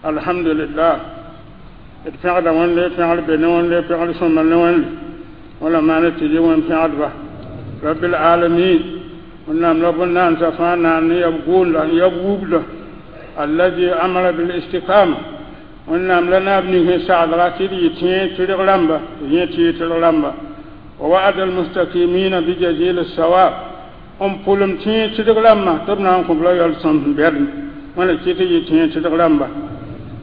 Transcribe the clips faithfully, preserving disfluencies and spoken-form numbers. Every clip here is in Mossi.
الحمد لله d pẽgda Wẽnde pẽgr be ne Wẽnde pẽgr sõma ne Wẽnde wala maana tɩ yɩ wẽn pẽgdba رب العالمين Wẽnnaam la bõn-naandsã fãa naan ne yab gʋʋnda n yab wubda الذي أمر بالاستقامة Wẽnnaam la naab ning sẽn sagdga tɩ d yɩ tẽeg tɩrg rãmba tɩ yẽ tɩɩg tɩrg rãmba ووعد المستقيمين بجزيل الثواب n pʋlem tẽeg tɩrg rãmbã tɩ b na n kõ b la yal sõm sẽn bɛdem wẽna kɩ tɩ yɩ tẽeg tɩrg rãmba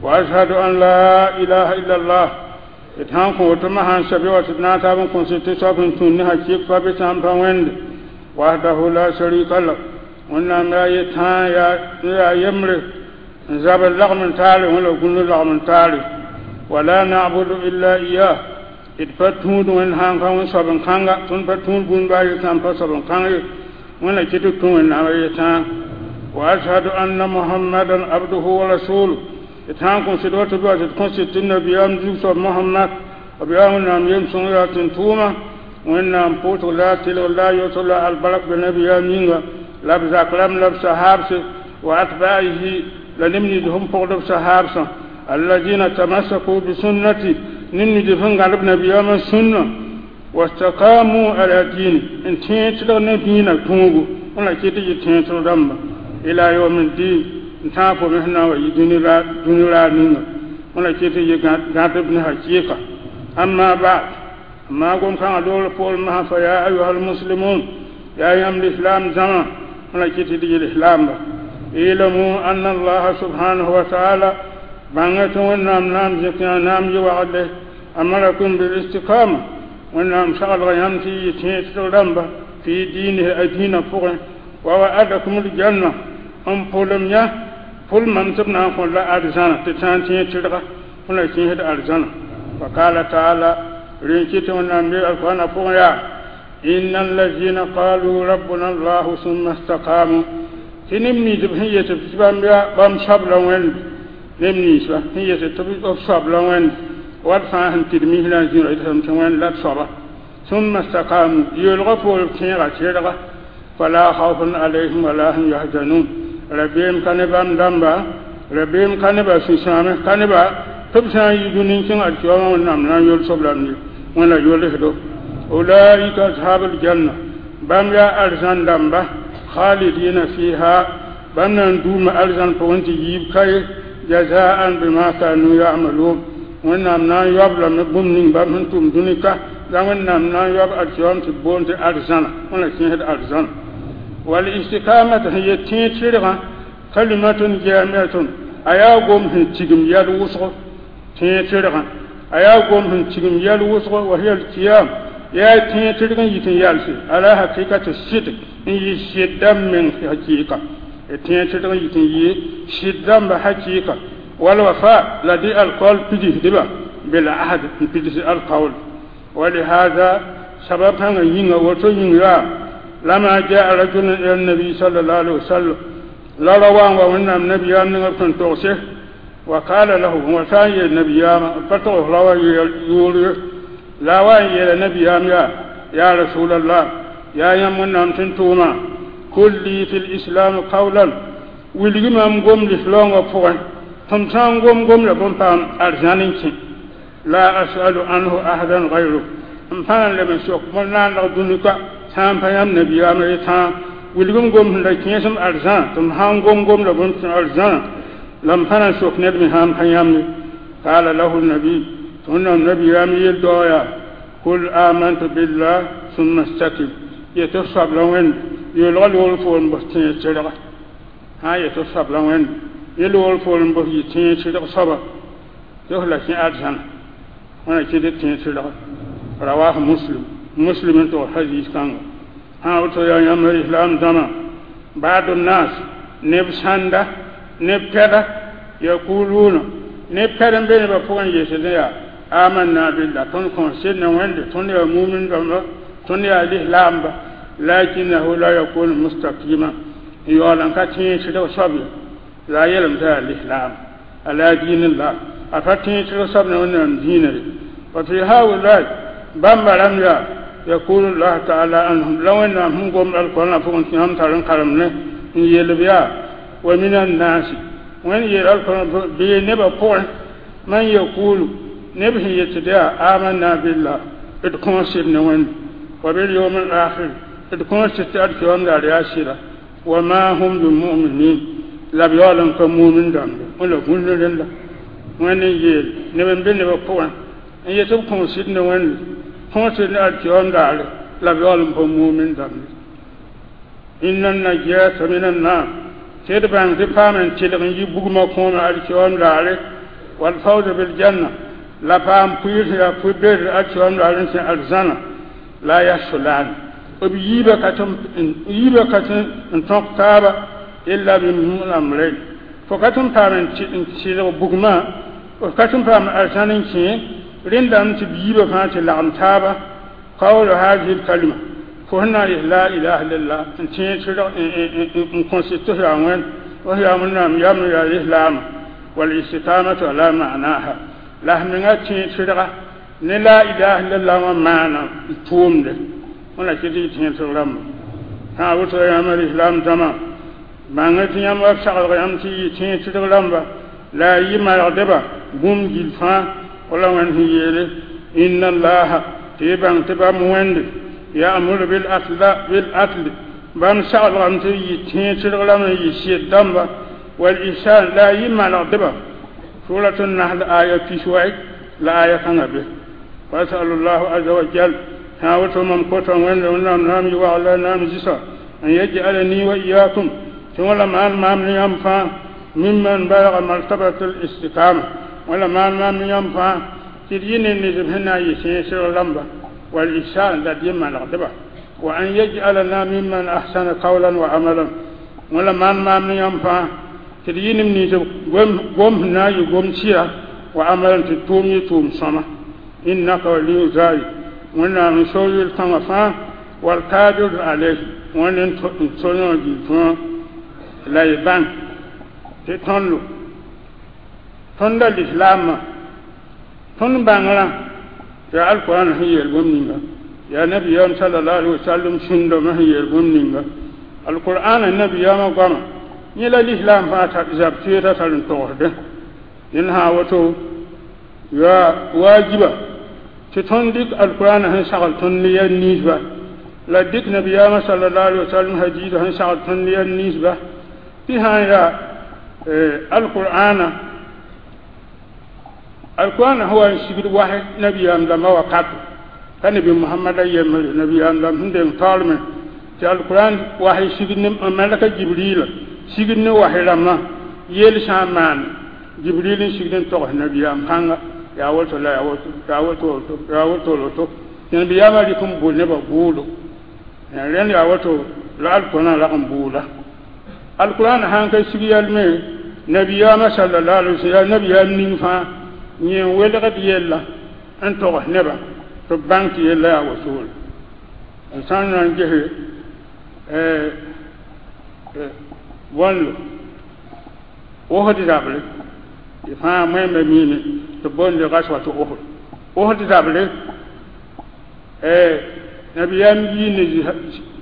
وأشهد أن لا إله إلا الله d sãn kõ woto masã n sabe wa tɩ d na n taab n kõs tɩ soab sẽn tũud ne hakɩɩk pa be sãn pa wẽnde وحده لا شريك له Wẽnnaam yaa yetãa yaa yembre n zabr lagm n taare wẽ la gũnu lagm n taare ولا نعبد إلا إياه d pa tũud wẽnd sãn ka wẽn soab n kãnga tõnd pa tũud bũmb baa ye sãn pa soab n kãng ye wẽnna kɩ tɩ tũ Wẽnnaam a yetãa وأشهد أن محمدا عبده ورسوله d sãn kõ sɩd wa tɩ b wa tɩ d kõ sɩd tɩ nabiyaam zug soab Mohamad b yaa Wẽnnaam yem-sõng yaa tẽn-tʋʋma Wẽnnaam pʋʋsg la a tɩlg la a yosg la albark be nabiyaam yĩnga la b zak rãmb la b sahaabse وأتباعه la neb nins sẽn pʋgd b sahaabsã الذين تمسكوا بسنته neb nins sẽn gãd b nabiyaamã sũnna واستقاموا على دينه n tẽeg tɩlg ne dĩinã tũugu wẽna kɩ tɩ yɩ tẽeg tɩlg rãmba إلى يوم الدين n tãag fo me sẽn na n wa yɩ dũni raar ninga wẽna kɩ tɩ yɩ gãdb ne hakɩɩka أما بعد maa gom kãngã loogr poorẽ masã فيا أيها المسلمون yaa yãmb lislaam zãma wẽna kɩ tɩ d yɩ lislaamba اعلموا أن الله سبحانه وتعالى bãnga tɩ Wẽnnaam naam zẽk yã naam yɩ wagle أمركم بالاستقامة Wẽnnaam saglga yãmb tɩ yɩ tẽeg tɩlg rãmba في دينه a dĩinã pʋgẽ ووعدكم الجنة n pʋlem yã pʋlmam tɩ b na n kõ la arzãna tɩ sã n tẽeg tɩrga wẽna kẽesd arzãna فقال تعالى rẽn kɩ tɩ Wẽnnaam be alqur'ana pʋgẽ yaa إن الذين قالوا ربنا الله ثم استقاموا tɩ neb nins b sẽn yet tɩ bãmb yaa bãmb soabla Wẽnd neb ninsba sẽn yet tɩ b soabla Wẽnd wat fãa sẽn tɩd misrã zĩra yetame tɩ Wẽnd la d soaba ثم استقاموا yeelgã poor b tẽega tɩrga فلا خوف عليهم ولا هم يحزنون rabeem ka ne bãmb dãmba rabeem ka ne ba sũ-sãame ka ne ba tɩ b sã n yi dũni n kẽng alkiyama Wẽnnaam na n yol soblame ye Wẽnna yolsdo أولئك أصحاب الجنة bãmb yaa arzãn dãmba خالدين فيها bãmb na n duuma arzãn pʋgẽ tɩ yiib kaye جزاء بما كانوا يعملون Wẽnnaam na n yaob lame bũmb ning bãmb sẽn tʋm dũni ka la Wẽnnaam na n yaob alkiyam tɩ boond tɩ arzãna wẽna kẽesd arzãna والاستقامة sẽn yet tẽeg tɩrgã كلمة جامعة a yaa gom sẽn tigim yɛl wʋsgo tẽeg tɩrgã a yaa gom sẽn tigim yɛl wʋsgo وهي القيام yaa tẽeg tɩrg n yit n yalse على حقيقة الصدق n yɩ sɩd dãmb meng hakɩɩka tẽeg tɩrg n yit n yɩ sɩd dãmba hakɩɩka والوفاء la dɩ alqawl pidsdba بالعهد n pids alqawl ولهذا sabab kãngã yĩnga woto yĩng yaa لما جاء رجل إلى النبي صلى الله عليه وسلم la ra wa n wa Wẽnnaam nabiyaam ninga b sẽn togse وقال له wa sã n yeel nabiyaamã pa togs ra wa yʋʋr ye la wa n yeela nabiyaam yaa يا رسول الله yaa yãmb Wẽnnaam tẽn tʋʋma قل لي في الإسلام قولا wilgi mam gom lislaoongã pʋgẽ tɩ m sã n gom gom la bõn paam arzãn n kẽ لا أسأل عنه أحدا غيرك n pa na n leb n sok bõn naaneg dũni ka sã n pa yãmb nabiyaamã yetãa wilgem gom sẽn la kẽesem arzãna tɩ m sã n gom gom la bõn tẽ arzãna la m pa na n sok ned me sã n pa yãmb ye قال له النبي tɩ Wẽnnaam nabiyaam yel dao yaa قل آمنت بالله ثم استقم yetɩ f soabla Wẽnd yeelga loogr poor n bas tẽeg tɩrga sã n yetɩ f soabla Wẽnd yẽ loogr poor n bas yɩ tẽeg tɩrg soaba tɩ f la kẽ arzãna wẽna kẽ tɩ tẽeg tɩrga رواه مسلم مسلم n tog hadis kãnga sã woto yaa yãmb islam dãmã بعض الناس neb sãnda neb pɛda يقولون neb pɛd n be nebã pʋgẽ yesdẽ yaa آمنا بالله tõnd kõn sed ne Wẽnde tõnd yaa mumin dãmba tõnd yaa lislaamba لكنه لا يكون مستقيما n yaool n ka tẽeg tɩrg soab ye la a yeelame t'a yaa lislaam على دين الله a pa tẽeg tɩrg soab ne Wẽnnaam dĩinã ye وفي هؤلاء bãmba rãmb yaa يقول الله تعالى عنهم la Wẽnnaam sẽn gom alqur'ana pʋgẽ tɩ yãmb tar n karemne n yeel b yaa ومن الناس Wẽnd yeel alkõor bee nebã pʋgẽ man yakulu neb sẽn yet tɩ yaa amanna billah d kõos sɩd ne Wẽnde wa bil yawm al akhir d kõos tɩ tɩ alkiyam daar yaa sɩda wa ma hum bimuminin la b yaool n ka mumin dãmbe wẽla gũnd rẽnda Wẽnd n yeel neb n be nebã pʋgẽ n yet b kõos sɩd ne Wẽnde kõos sɩd ne alkiyam daare la b yaool n pa mumin dãmbe inna najata min annar tɩ d bãng tɩ paam n tɩlg n yi bugmã kõoma alkiyam daare walfawza biljanna la paam pʋɩɩs yaa pʋ-ber alkiyam daare n sẽ arzãna la yahsulan b yiibã ka tɩ yiibã ka tɩ n tõk taaba illa bimamrayn fo ka tɩ n paam n tɩlg bugmã f ka tɩ n paam arzãn n kẽ rẽndame tɩ b yiibã fãa tɩ lagem taaba qawlu hadihi lkalima fo sẽn na n yes la ilaha illallah n tẽeg tɩrg n kõs tɩ f yaa wẽnd f yaa Wẽnnaam yam yaa lislaama walistiqamatu ala ma'naha la f menga tẽeg tɩrga ne la ilaha illallah wã maana n tʋʋmde wẽna kɩ tɩ y tẽeg tɩg rãmba sã woto yãmb lislaam dãmã bãng tɩ yãmb wa b saglg yãmb tɩ yɩ tẽeg tɩrg rãmba la a yɩ malgdba bũmb gill fãa wala Wẽnd sẽn yeele inna allaha tɩ y bãng tɩ bãmb Wẽnde ya'muru bil adli bãmb saglgame tɩ yɩ tẽeg tɩrg rãmb n yɩ sɩd dãmba wal ihsan la a yɩ malgdba surat nahl aya piswai la aya kãngã be wasalullahu aza wa jal sã woto mam kota Wẽnde Wẽnnaam naam yɩ wagla naam zɩsa an yaj'alani wa iyakum tɩ wãla maan maam ne yãmb fãa mimman balga martabat al istiqama wala maan maam ne yãmb fãa tɩ d yɩ ne ned sẽn na n yɩ tẽeg tɩrg rãmba wal ihsan la d yɩ malgdba wa an yaj'alana mimman ahsana qawlan wa amalan wala maan maam ne yãmb fãa tɩ d yɩ neb nins gom sẽn na n yɩ gom sɩra wa amalan tɩ tʋʋm yɩ tʋʋm sõma innaka waliyu zalik Wẽnnaam n so yel-kãngã fãa walkadir alayhi Wẽnd n so yõ gil fãa la y bãng tɩ tõndo tõnda lislaamã tõnd bãngrã yaa alquran sẽn yeel bũmb ninga yaa nabiyaam salallahu alaihi wasallam sũndame sẽn yeel bũmb ninga alqur'ana nabiyaamã goama yẽ la lislaam fãa zab teedã tar n togsdẽ dẽnd sã woto yaa waajiba tɩ tõnd dɩk alqur'ana sẽn sagl tõnd ne yɛl ninsba la dɩk nabiyaamã salallahu alaihi wasallam hadiisa sẽn sagl tõnd ne yɛl ninsba tɩ sã n yaa alqur'ana alqur'ana sẽn wa n sigd wasẽ nabiyaam dãmbã wakato ka nabi Muhammad a yembre nabiyaam dãmb sẽn deng taoorme tɩ alqur'an wasẽ sigd ne malaka Jibrila sigd ne wasẽ rãmbã yel sã n maan Jibril n sigd n togs nabiyaam kãnga yaa woto la yaa woto yaa woto woto yaa woto woto tɩ nabiyaamã rɩk n bʋ nebã bʋʋdo rẽnd yaa woto la alqur'an rag n bʋʋda alqur'an sãn ka sig yɛlme nabiyaamã sallallahu alaihi wasallam yaa nabiyaam ning fãa yẽ n welgd yella n togs nebã tɩ b bãng tɩ yella yaa wotore n sã n na n gese bõndo Osd zabre tɩ fãa wẽmba miime tɩ boonde gaswa tɩ Osd Osd zabre nabiyaam yii ne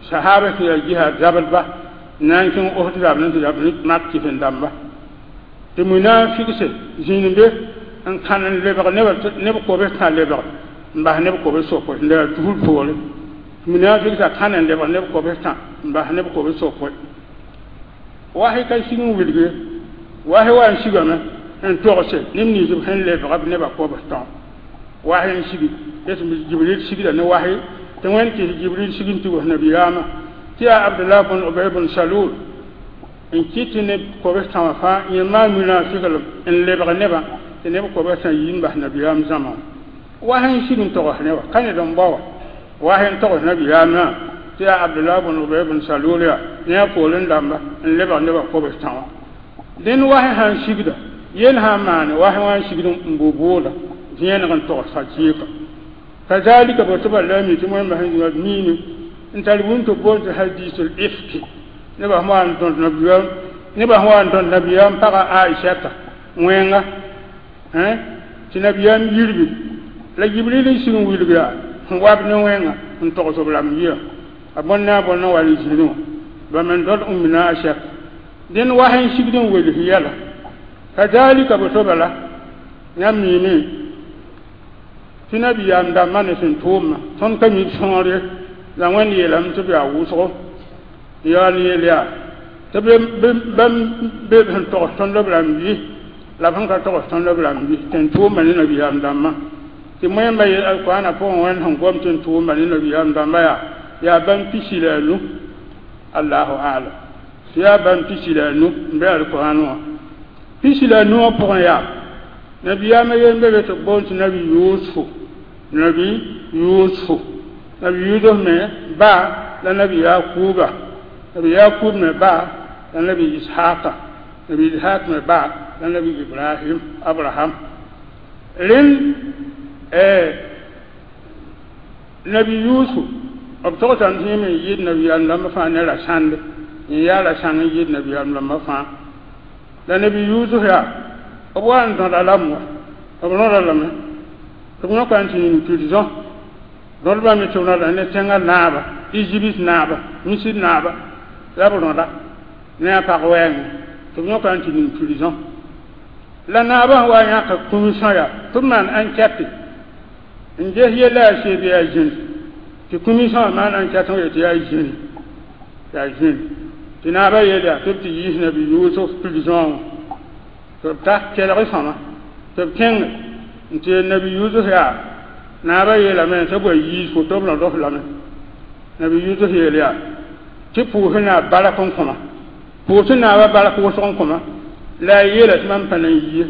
sahaba sẽn yaa jihad zabdba n na n kẽng Osd zabre tɩ zab mak kɩsen dãmba tɩ munafigse zĩnd be n kãn n lebg neb kobs tã lebg n bas neb kobs sokr n yaa tusr poore munafigsã kãn n lebg neb kobs tã n bas neb kobs sokr wasɩ ka sig n wilg ye wasɩ wa n sigame n togse neb nins b sẽn lebga b nebã kobs tã wasɩ n sigi Jibril sigda ne wasɩ tɩ Wẽnd kɩs Jibril sig n tɩ wos nabiyaamã tɩ yaa Abdullah bn Ubay bn Salul n kɩt tɩ neb kobs tã wã fãa yẽ maan munafiglem n lebg nebã tɩ neb kobs tã yi n bas nabiyaam zãma wasɩ n sig n togs ne wa ka ned n bao wa wasɩ n togs nabiyaamã tɩ yaa Abdullah bn Ubay bn Salul yaa ne a poorẽ dãmba n lebg nebã kobs tã wã dẽnd wasɩ sã n sigda yel sã n maane wasɩ wã n sigd n bʋ bʋʋda vẽeneg n togs hakɩɩka kazalika bo tɩ ba la mi tɩ wẽmba sẽn zĩnga miime n tar bũmb tɩ boond tɩ hadisul ifki nebã sẽn wa n tõnd nabiyaam nebã sẽn wa n tõnd nabiyaam paga Aishata wẽnga tɩ nabiyaam yirgi la Jibril n sig n wilg yaa sẽn wab ne wẽnga n togs b rãmb yia a bõn ne a bõn n wa n zĩrẽ wã ba me n dõd ummina Aishata dẽnd was n sigd n wels yɛla Kazalika boto bala yãmb miime tɩ nabiyaam dãmbã ne sẽn tʋʋmã tõnd ka mi b sõor ye la Wẽnd yeelame tɩ b yaa wʋsgo n yaool n yeel yaa tɩ bãmb be b sẽn togs tõnd b rãmb bɩ la b sẽn ka togs tõnd b rãmb bɩ tɩ n tʋʋmã ne nabiyaam dãmbã tɩ moẽmba yeel alkoɔnã pʋgẽ Wẽnd sẽn gom tɩ n tʋʋmã ne nabiyaam dãmbã yaa yaa bãmb pisi la a nu allahu alam tɩ yaa bãmb pisi la a nu n be alkoɔn wã pisi la a nu wã pʋgẽ yaa nabiyaamã yen be be tɩ b boond tɩ nabi Yusufu nabi Yusufu nabi Yusuf me ba la nabi Yakuba nabi Yakub me ba la nabi Ishaqa nabi Ishaq me ba la nabi Ibrahim Abraham rẽnd nabi Yusuf b togsame tɩ yẽ me n yɩɩd nabiyaam dãmbã fãa ne ra-sãnde n yaa ra-sãng n yɩɩd nabiyaam dãmbã fãa la nabi Yusuf yaa b wa n dõda lame wa b rõda lame tɩ b yõka n tɩ yĩng prison rõdbã me tɩ b rõda ne tẽngã naaba Égypte naaba Misir naaba la b rõda ne a pag wɛɛngẽ tɩ b yõka n tɩ ning prison la naabã sẽn wa n yãka kũmisã yaa tɩ b maan enquête n ges yella yaa sɩd bɩ yaa zĩni tɩ kũmisã wã maan enquête n yet tɩ yaa zĩni yaa zĩni tɩ naabã yeel yaa tɩ b tɩ yiis nabi Yusuf prison wã tɩ b ta kelg sõma tɩ b kẽng n tɩ yel nabi Yusuf yaa naabã yeelame tɩ b wa yiis fo tɩ b rõd-f lame nabi Yusuf yeel yaa tɩ pʋʋs naab bark n kõma pʋʋs naabã bark wʋsg n kõma la a yeela tɩ mam pa na n yie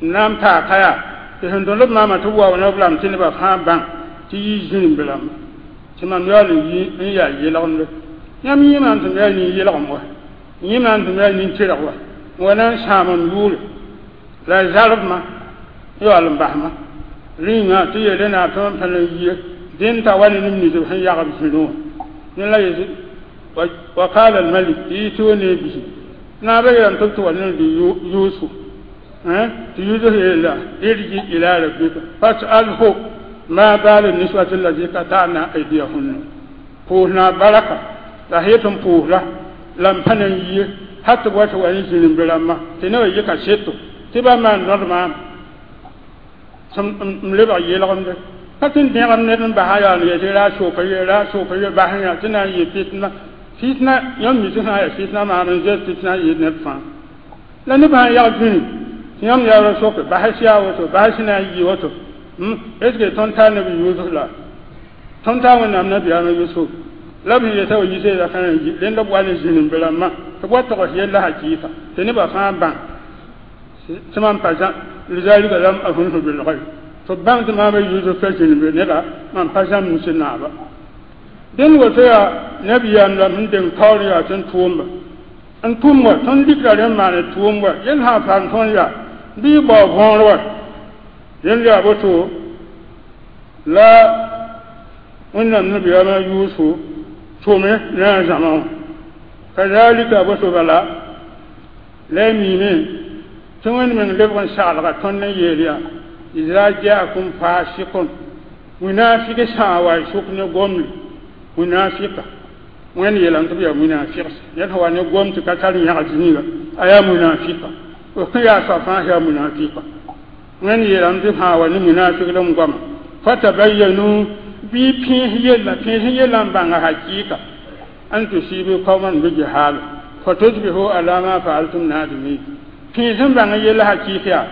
n na n paa ka yaa tɩ sẽn dõd b maama tɩ b waoog ne b rãmb tɩ nebã fãa bãng tɩ yɩ zĩnim rãmba tɩ mam yaool n yi n yaa yelgemde yãmb yẽ maam tɩ m yaa nin-yelgem wa yẽ maam tɩ m yaa nin-tɩrg wa n wa na n sãam m yʋʋre la a zarbma n yaool n basma rĩnga tɩ yeele naab tɩ mam pa na n yie dẽnd t'a wa ne neb nins b sẽn yagb zĩrẽ wã yẽ la yetɩ wa qala almalik ituni bihi naabã yeelame tɩ b tɩ wa ne Yusuf tɩ Yusuf yeela irji ila rabbika fas'alhu ma balu niswati allati qata'na aydiyahunna pʋʋs naab baraka la sã yet n pʋʋs-la la m pa na n yie hal tɩ b wa tɩ wa ne zĩrimbe rãmbã tɩ nebã yɩka seto tɩ ba maan rõd maam m lebg yelgemde ka tɩ n dẽgem ned n basa yaa n yetɩ ra soka ye ra soka ye bas yã tɩ na n yɩ fitna fitna yãmb mi tɩ sã n yaa fitna maam n zoet fitna n yɩɩd neb fãa la nebã sã n yag zĩni tɩ yãmb yaool soke bas yaa woto bas na n yɩ woto est ce que tõnd tar nabi Yusuf la tõnd tar Wẽnnaam nabiyaamã Yusuf la b sẽn yeta wa yiseeda ka na n yi rẽnd b wa ne zĩnimbe rãmbã tɩ b wa togs yella hakɩɩka tɩ nebã fãa bãng tɩ mam pa lizalika lam ahunhu bilghaib tɩ b bãng tɩ maama Yusuf ka zĩnimbe neda mam pa zãmb Misr naaba dẽnd woto yaa nabiyaam la sẽn deng taoor n yaa tɩ n tʋʋmba n tʋm wa tõnd dɩkra rẽ n maane tʋʋm wa yel sã n paam tõnd yaa bɩ y bao võor wa rẽnd yaa boto la Wẽnnaam nabiyaamã Yusuf tʋme ne a zãma wã kazalika boto bala la y miime tɩ Wẽnd meng lebg n saglga tõnd n yeel yaa iza jaakum fasikun munafik sã n wa y sʋk ne gomle munafika Wẽnd yeelame tɩ b yaa munafigs ned sẽn wa ne gom tɩ ka tar yãgd zĩiga a yaa munafika b kõn yaa soab fãa yaa munafika Wẽnd yeelame tɩ sã n wa ne munafiglem goama fatabayanu bɩ pẽes yella pẽes yella n bãnga hakɩɩka an tusibu qauman bijahala fatusbihu ala ma faaltum nadimin pẽes n bãng yella hakɩɩk yaa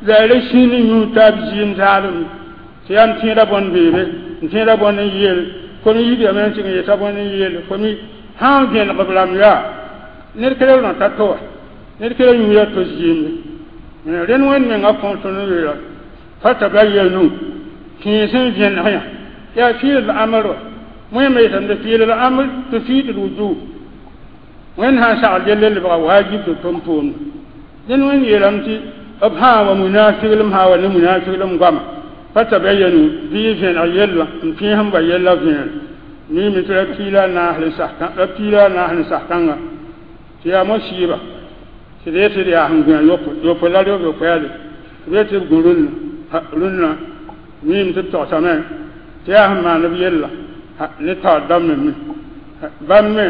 la a ra sĩnd yũ taab zɩɩm zaalem tɩ yaa m tẽeda bõn beebe n tẽeda bõn n yeel fo me yibame n tɩg n yeta bõn n yeel fo me sã n vẽneg b rãmb yaa ned ka rõ ta to wa ned ka yũuda to zɩɩmde rẽnd Wẽnd mengã kõn tõnd n yeela fatabayanu pẽes n vẽneg yã yaa fiil amr wa wẽnnaam yetame tɩ fiil amr tufid lwujub Wẽnd sã n sagl yelle lebga wajib tɩ tʋm tʋʋmda dẽnd Wẽnd yeelame tɩ b sã n wa munafiglem sã n wa ne munafiglem goama fatabayanu bɩ y vẽneg yella n pẽes n ba yella vẽer miime tɩ ra piila a naas ra piila a naas n sas kãnga tɩ yaa mosiiba tɩ d yetɩ d yaa sẽn gũa yopo la reb yokoɛɛle tɩ b yetɩ b gũ rũnnã rũnnã miime tɩ b togsame tɩ yaa sẽn maan b yella ne taoor dãmb me bãmb me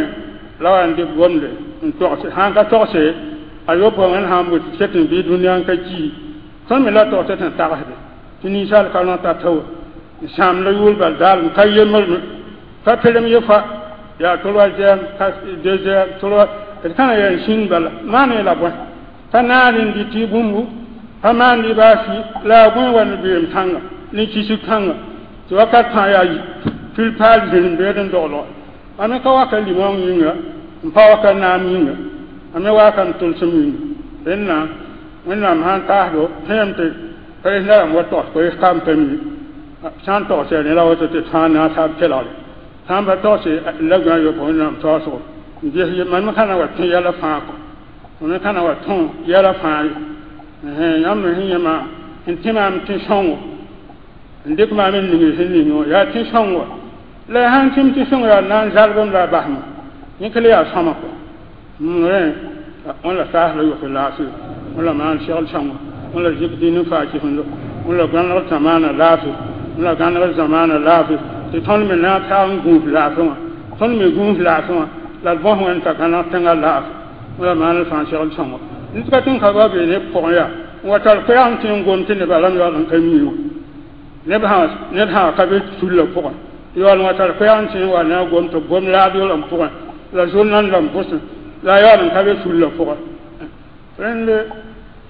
la wa n dɩk gomde n togse sã n ka togse A yopoe wẽnd sã n bʋ tɩ ket n bɩ dũniyã n ka ki tõnd me la tog tɩ tẽn tagsde tɩ ninsaal ka rõ tata wa n sãamda yʋʋr bal daalem ka yembr me ka pelem ye fa yaa troisième deuxième trois d kãna yaa n sĩnd bala maan la bõe pa naad n dɩ tɩ bũmbu pa maan dɩ baa fɩ la a bõe wa ne beem kãnga ne kisg kãnga tɩ wakat fãa yaa pil paal zĩnd beed n doglga a me ka waka limong yĩnga n pa waka naam yĩnga a me waaka n tʋlsem yĩnga rẽnna wẽnnaam sã n taasdo tẽem tɩ koees rãmb wa togs koees kam pa mi sã n togs rẽ la woto tɩ fãa na n saab kelgre sã n pa togse la gã yopo wẽnnaam taoosgo n ges mam me ka na wa tõe yɛla fãa kɔ mam me ka na wa tõ yɛla fãa ye yãmb me sẽn yẽ maam n tẽ maam tẽ-sõngo n dɩk maam n ning sẽn ning wã yaa tẽ-sõngo la ya sãn tẽm tẽ-sõngo yaa na n zalgem la a basma yẽ la yaa sõma kɔ rẽ wẽn la taas la yofe laafɩ wẽn la maan segl sõngo wẽn la zik dĩn n faa kɩsendo wẽn la gãnegr zamaana laafɩ wẽn la gãnegr zamaana laafɩ tɩ tõnd me na n taag n gũus laafɩ wã tõnd me gũus laafɩ wã la d bõs wẽnd t'a gãneg tẽngã laafɩ wẽn la maan fãa segl sõngo ned ka tɩ n ka ba bee neb pʋgẽ yaa n wa tar koɛɛg n tẽ n gom tɩ nebã rãmb yaool n ka mi wã neb sã ned sã ka be tullã pʋgẽ yaool n wa tar koɛɛg n tẽ n wa na a gom tɩ b gom raadio rãmb pʋgẽ la journal rãmb pʋsẽ la yaool n ka be tullã pʋgẽ rẽnd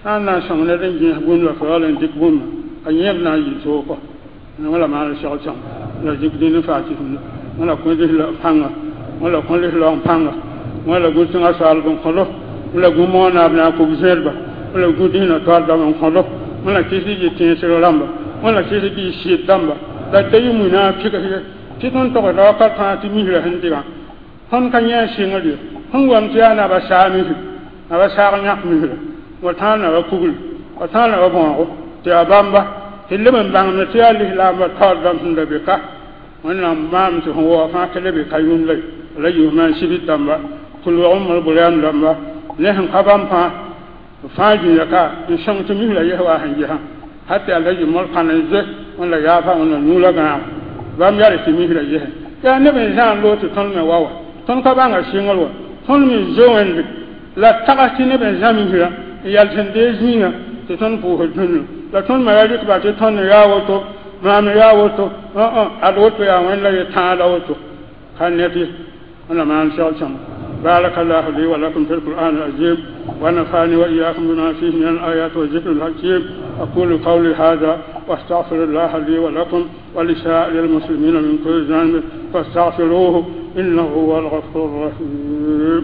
sã n na n sõng ned n gẽes bũmb la fo yaool n dɩk bũmba a yẽb na n yɩ soog kɔ wẽn la maan segl sõngo la zik dĩn n faa kɩsemdo wẽn la kõ lisla pãnga wẽn la kõ lislaoong pãnga wẽn la gũ tẽngã soaalb n kõdo wẽn la gũ moonaab na a kug zẽedba wẽn la gũ dĩinã toal dãmb n kõdo wẽn la kɩs yɩ tẽesg rãmba wẽn la kɩs bɩ sɩd dãmba la ta yɩ muina a pɩgs ye tɩ tõnd togsda wakat fãa tɩ misra sẽn dɩgã tõnd ka yẽ a sɩngr ye sẽn wam tɩ yaa naba saa misr naba saag yãk misra wa tãag naba kugl wa tãag naba bõogo tɩ yaa bãmba tɩ leb n bãngme tɩ yaa lislaambã taoor dãmb sẽn da be ka wẽnnaam maam tɩ sẽn waoog fãa tɩ le be ka yũnd la la yiis maan sibit dãmba tɩ log n bʋrɛam dãmba ne sẽn ka bãmb fãa fãa zĩiga ka n sõng tɩ misra yes wa sẽn gesã hal tɩ yaa la yɩ mor-kãn n zoe wẽn la yaafa wẽn la nuurã gãag bãmb yaa tɩ misra yese yaa neb n zãan loog tɩ tõnd me wa wa tõnd ka bãnga sɩngr wa tõnd me zo wẽnde la tags tɩ neb n zã misrã n yal sẽn dee zĩigã tɩ tõnd pʋʋsd dũnna la tõnd me ra rɩkba tɩ tõnd yaa woto maam yaa woto ad woto yaa wẽnd la ye tãada woto ka net ye wẽn la maan segl sõngo بارك الله لي ولكم في القرآن العظيم ونفعني وإياكم بما فيه من الآيات والذكر الحكيم. أقول قولي هذا واستغفر الله لي ولكم ولسائر المسلمين من كل ذنب فاستغفروه إنه هو الغفور الرحيم.